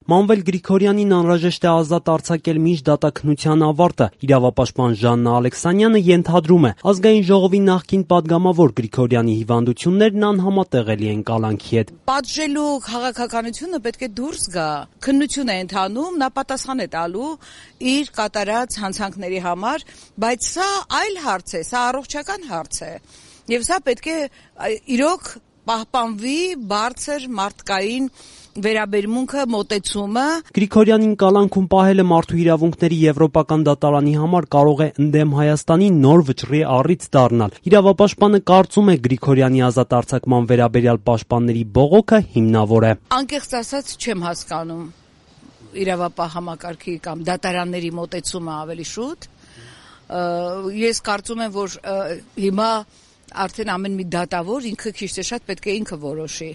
Մանվել Գրիգորյանին անհրաժեշտ է ազատ արձակել մինչ դատաքննության ավարտը։ Իրավապաշտպան Ժաննա Ալեքսանյանը ենթադրում է, ազգային ժողովի նախկին падգամավոր Գրիգորյանի հիվանդություններն անհամատեղելի են կալանքի հետ։ Պատժելու քաղաքականությունը պետք է դուրս գա։ Քննություն է ընթանում, նա պատասխան է տալու իր կատարած հանցանքների համար, բայց սա այլ հարց է, սա առողջական հարց է։ Եվ սա պետք է իրոք պահպանվի բարձր մարդկային վերաբերմունքը, մոտեցումը։ Գրիգորյանին կալանքում պահելը մարդու իրավունքների եվրոպական դատարանի համար կարող է ընդդեմ Հայաստանի նոր վճռի առիթ դառնալ։ Իրավապաշտպանը կարծում է Գրիգորյանի ազատ արձակման վերաբերյալ պաշտպանների բողոքը հիմնավոր է։ Անկեղծ ասած չեմ հասկանում իրավապահ համակարգի կամ դատարանների մոտեցումը ավելի շուտ։ Ես կարծում եմ, որ հիմա արդեն ամեն մի դատավոր ինքը քիչ թե շատ պետք է ինքը որոշի։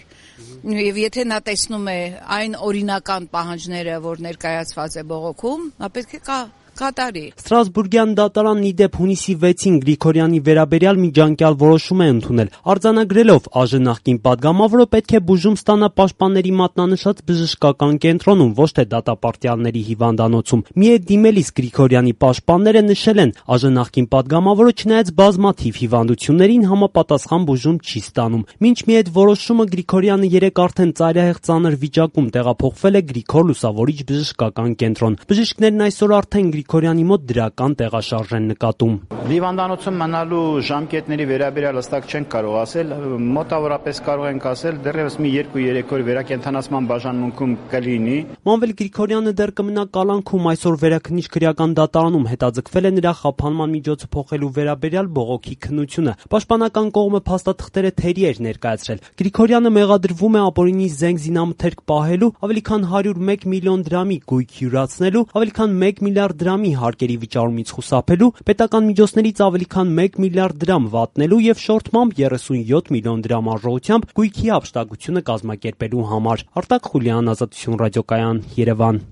Եվ եթե նա տեսնում է այն օրինական պահանջները, որ ներկայացված է բողոքում, նա պետք է կատարի։ Ստրասբուրգյան դատարանն ի դեպ հունիսի 6-ին Գրիգորյանի վերաբերյալ միջանկյալ որոշում է ընդունել, արձանագրելով ԱԺ նախկին падգամավորը պետք է բուժում ստանա պաշտպանների մատնանշած բժշկական կենտրոնում, ոչ թե դատապարտյալների հիվանդանոցում։ Մի է դիմելիս Գրիգորյանի պաշտպանները նշել են, ԱԺ նախկին падգամավորը չնայած բազմաթիվ հիվանդություններին համապատասխան բուժում չի ստանում։ Մինչ մի այդ որոշումը Գրիգորյանը երեկ արդեն ծայրահեղ ծանր վիճակում տեղափոխվել է Գրիգոր Լուսավորիչ բժշկական կենտրոն։ Բժիշկներն այսօր արդեն Գրիգորյանի մոտ դրական տեղաշարժ են նկատում։ Հիվանդանոցում մնալու ժամկետների վերաբերյալ հստակ չենք կարող ասել, մոտավորապես կարող ենք ասել դեռևս մի 2-3 օր վերակենդանացման բաժանմունքում կլինի։ Մանվել Գրիգորյանը դեռ կմնա կալանքում, այսօր վերաքննիչ քրեական դատարանում հետաձգվել է նրա խափանման միջոցը փոխելու վերաբերյալ բողոքի քննությունը։ Պաշտպանական կողմը փաստաթղթերը թերի էր ներկայացրել։ Գրիգորյանը մեղադրվում է ապօրինի զենք զինամթերք պահելու, ավելի քան 101 միլիոն դրամի գույք յուրացնելու, ավելի քան 1 միլիարդ դրամի հարկերի վճարումից խուսափելու, պետական միջոցներից ավելի քան 1 միլիարդ դրամ վատնելու եւ շորթմամբ 37 միլիոն դրամ արժողությամբ գույքի հափշտակությունը կազմակերպելու համար։ Արտակ Խուլյան, Ազատություն ռադիոկայան, Երևան։